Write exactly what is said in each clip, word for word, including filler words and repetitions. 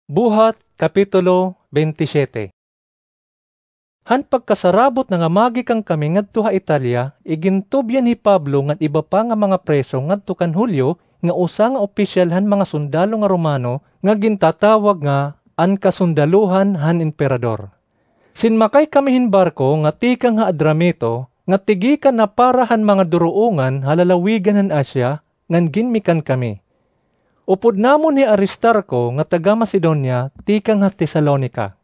Buhat, Kapitulo twenty-seven. Han pagkasarabot na nga magikan kami ngadto ha Italia, igintubyan hi Pablo ngan iba pa nga mga preso ngadto kan Julio, nga usa nga opisyal han mga sundalo nga Romano nga gintatawag nga an kasundalohan han Emperador. Sinmakay kami hin barko nga tikang ha Adramito, nga tigikan na para han mga duruongan ha lalawigan han Asia, ngan ginmikan kami. Upod namon hi Aristarco nga taga-Macedonia tikang ha Tesalonica.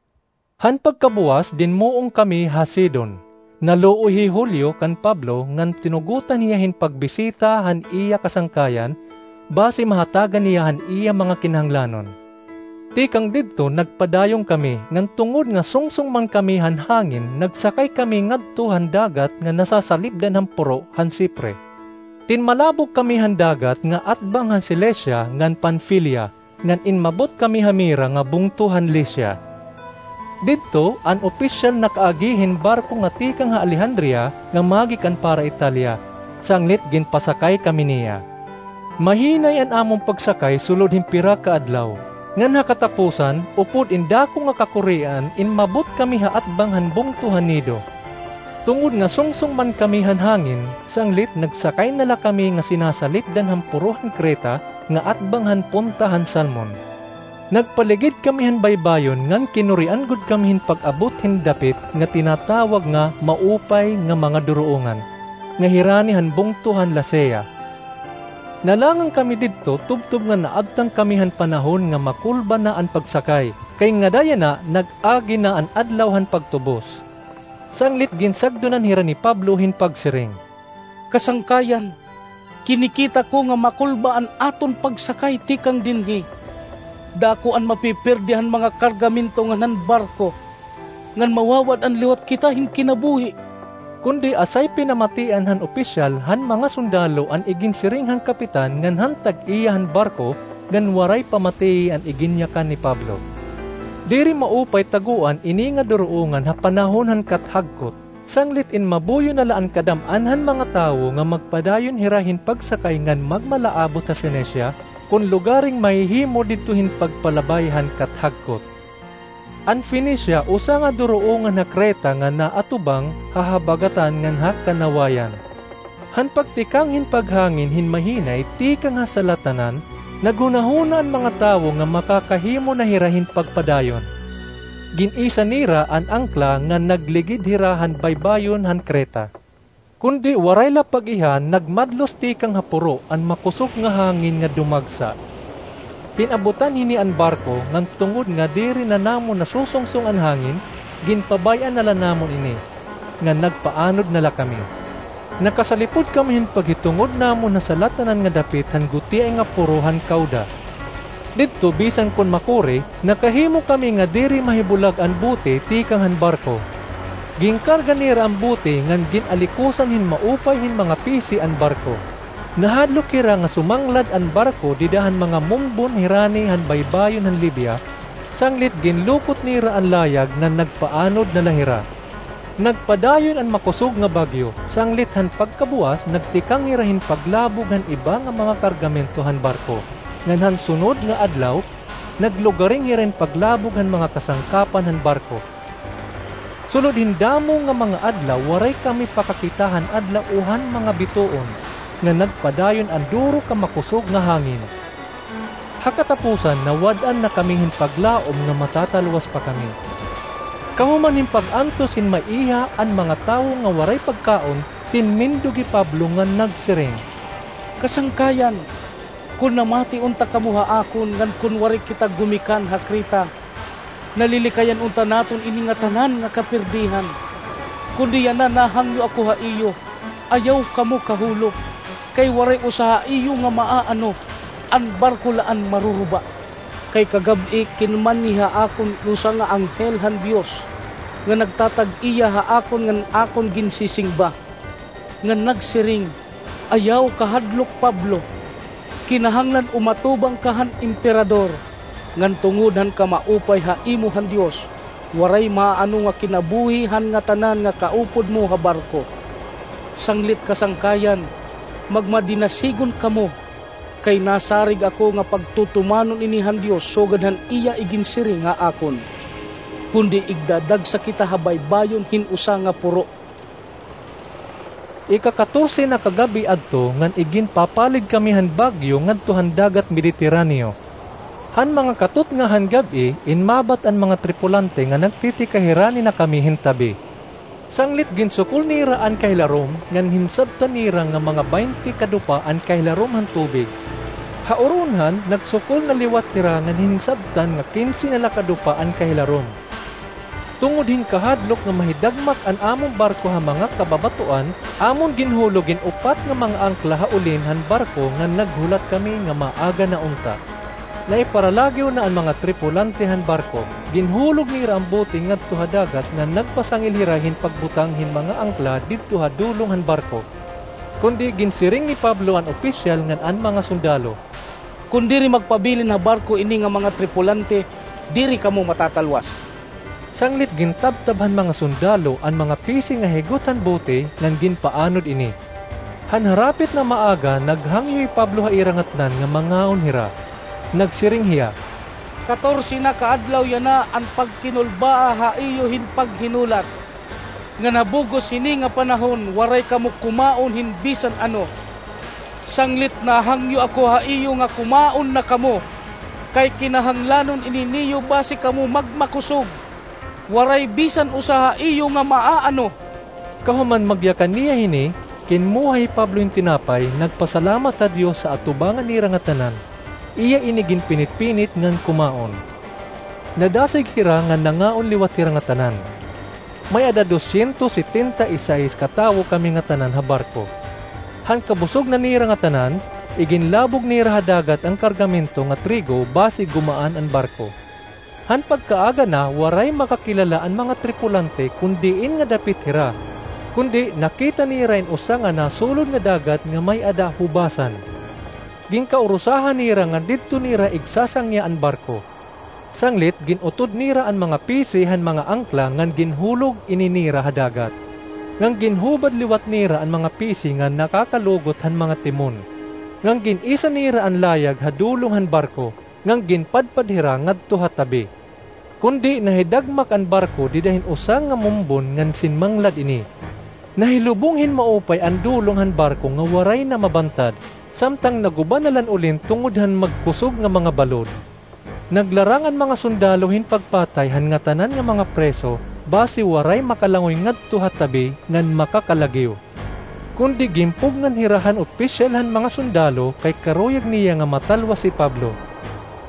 Han pagkabuwas, dinmuong kami ha Sidon. Naluoy hi Julio kan Pablo ngan tinugotan hiya hin pagbisita han iya kasangkayan, basi mahatagan niya han iya mga kinahanglanon. Tikang didto, nagpadayon kami, ngan tungod nga sungsong man kami han hangin, nagsakay kami ngadto han dagat nga nasasalipdan han puro han Sipre. Tinmalabog kami han dagat nga atbang han Cilicia ngan Panfilia, ngan inmabot kami ha Mira nga bungto han Licia. Didto, an opisyal nakaagi hin barko nga tikang ha Alejandria nga magikan para Italia, sanglit ginpasakay kami niya. Mahinay an amon pagsakay sulod hin pira ka adlaw, ngan ha katapusan, upod in dako nga kakurian, inmabot kami ha atbang han bungto han Nido. Tungod nga sungsong man kami han hangin, sanglit nagsakay na la kami nga sinasalipdan han puro han Creta nga atbang han punta han Salmon. Nagpaligid kami han baybayon ngan kinurian gud kami hin pag-abot hin dapit nga tinatawag nga Maupay nga mga Duruongan, nga hirani han bungto han Lasea. Nalangan kami didto tubtob nga naabtan kami han panahon nga makulba na an pagsakay, kay ngada yana nag-agi na an adlaw han pagtubos. Sanglit ginsagdonan hira ni Pablo hin pagsiring, "Kasangkayan, kinikita ko nga makulba an aton pagsakay tikang dinhi. Dako an mapipirdi han mga kargamento ngan han barko, ngan mawawad-an liwat kita hin kinabuhi." Kundi asay pinamatian han opisyal han mga sundalo an iginsiring han kapitan ngan han tag-iya han barko, ngan waray pamatii an iginyakan ni Pablo. Diri maupay tagoan ini nga duruongan ha panahon han kathagkot, sanglit inmabuyo na la an kadam-an han mga tawo nga magpadayon hira hin pagsakay ngan magmalaabot ha Fenicia, kon lugaring mahihimo didto hin pagpalabay han kathagkot. An Fenicia usa nga duruongan ha Creta nga naatubang ha habagatan ngan ha kanawayan. Han pagtikang hin paghangin hin mahinay tikang ha salatanan, naghunahuna an mga tawo nga makakahimo na hira hin pagpadayon. Gin-isa nira an angkla ngan nagligid hira han baybayon han Creta. Kundi waray la pag-iha, nagmadlos tikang ha puro an makusog nga hangin nga dumagsa. Pin-abutan hini an barko, ngan tungod nga diri na namon nasusungsong an hangin, ginpabay-an na la namon ini, ngan nagpaanod na la kami. Nakasalipod kami hin paghitungod namon ha salatanan nga dapit han gutiay nga puro han Cauda. Didto, bisan kon makuri, nakahimo kami nga diri mahibulag an bote tikang han barko. Ginkarga nira an bote ngan gin-alikusan hin maupay hin mga pisi an barko. Nahadlok hira nga sumanglad an barko dida han mga mumbon hirani han baybayon han Libya, sanglit ginlukot nira an layag ngan nagpaanod na la hira. Nagpadayon an makusog nga bagyo, sanglit han pagkabuwas nagtikang hira hin paglabog han iba nga mga kargamento han barko, ngan han sunod nga adlaw, naglugaring hira hin paglabog han mga kasangkapan han barko. Sulod hin damo nga mga adlaw, waray kami pakakita han adlaw o han mga bituon, ngan nagpadayon an duro ka makusog nga hangin. Ha katapusan, nawad-an na kami hin paglaom nga matatalwas pa kami. Kahuman hin pag-antos hin maiha an mga tawo nga waray pagkaon, tinmindog hi Pablo ngan nagsiring, "Kasangkayan, kon namati unta kamo ha akon ngan kon waray kita gumikan ha Creta, nalilikayan unta naton ini ngatanan nga kapirdihan. Kundi yana nahangyo ako ha iyo, ayaw kamo kahulop, kay waray usa ha iyo nga maaano, an barko la an maruruba." Kay kagab-i kinmanhi ha akon usa nga anghel han Dios, nga nagtatag-iya ha akon ngan akon ginsisingba, ngan nagsiring, "Ayaw kahadlok, Pablo. Kinahanglan umatubang ka han Emperador, ngan tungod han kamaupay ha imo han Dios, waray maaano nga kinabuhi han ngatanan nga kaupod mo ha barko. Sanglit kasangkayan, magmadinasigon kamo, Kay nasarig ako nga pagtutumanon ini han Dios sugad han iya iginsiring ha akon, kundi igdadagsa kita ha baybayon hin usa nga puro. Ikakatorse na ka gab-i adto ngan iginpapalig kami han bagyo ngadto han dagat Mediterraneo. Han mga katutnga han gab-i, inmabat an mga tripulante nga nagtitikahirani na kami hin tabi. Sanglit ginsukol nira an kahilarom, ngan hinsabtan nira nga mga baynte ka dupa an kahilarom han tubig. Ha uronhan, nagsukol na liwat hira ngan hinsabtan nga kinse na la ka dupa an kahilarom. Tungod hin kahadlok nga mahidagmak an amon barko ha mga kababatoan, amon ginhulog in upat nga mga angkla ha ulin han barko ngan naghulat kami nga maaga na unta. Naiparalagiw na an mga tripulante han barko. Ginhulog nira an bote ngadto ha dagat ngan nagpasangil hira hin pagbutang hin mga angkla didto ha dulong han barko. Kundi ginsiring ni Pablo an opisyal ngan an mga sundalo, "Kon diri magpabilin ha barko ini nga mga tripulante, diri kamo matatalwas." Sanglit gintabtab han mga sundalo an mga pisi nga higot han bote ngan ginpaanod ini. Han harapit na maaga, naghangyo hi Pablo ha ira ngatanan nga mangaon hira. Nagsiring hiya, "Katorse na ka adlaw yana an pagkinulbaa ha iyo hin paghinulat, ngan ha bug-os hini nga panahon waray kamo kumaon hin bisan ano. Sanglit nahangyo ako ha iyo nga kumaon na kamo, kay kinahanglanon ini niyo basi kamo magmakusog. Waray bisan usa ha iyo nga maaano." Kahuman magyakan niya hini, kinmuha hi Pablo hin tinapay, nagpasalamat ha Dios ha atubangan nira ngatanan. Iya ini ginpinit-pinit ngan kumaon. Nadasig hira ngan nangaon liwat hira ngatanan. May-ada dosyentos setenta y seis ka tawo kami ngatanan ha barko. Han kabusog na nira ngatanan, iginlabog nira ha dagat an kargamento nga trigo basi gumaan an barko. Han pagkaaga na, waray makakilala an mga tripulante kon diin nga dapit hira. Kundi nakita nira in usa nga nasulod nga dagat nga may-ada hubasan. Ginkaurusahan nira nga didto nira igsasangya an barko. Sanglit, gin-utod nira an mga pisi han mga angkla ngan ginhulog ini nira ha dagat. Ngan ginhubad liwat nira an mga pisi nga nakakalugot han mga timon. Ngan gin-isa nira an layag ha dulong han barko, ngan ginpadpad hira ngadto ha tabi. Kundi nahidagmak an barko dida hin usa nga mumbon ngan sinmanglad ini. Nahilubong hin maupay an dulong han barko nga waray na mabantad, samtang naguba na la an ulin tungod han magkusog nga mga balod. Naglarang an mga sundalo hin pagpatay han ngatanan nga mga preso, basi waray makalangoy ngadto ha tabi ngan makakalagiw. Kundi ginpugngan hira han opisyal han mga sundalo kay karuyag niya nga matalwas hi Pablo.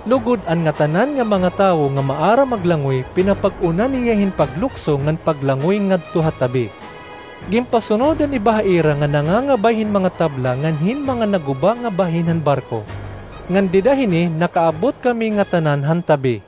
Lugod an ngatanan nga mga tawo nga maaram maglangoy, pinapag-una niya hin paglukso ngan paglangoy ngadto ha tabi. Ginpasunod an iba ha ira nga nangangabay hin mga tabla ngan hin mga naguba nga bahin han barko. Ngan dida hini nakaabot kami ngatanan han tabi.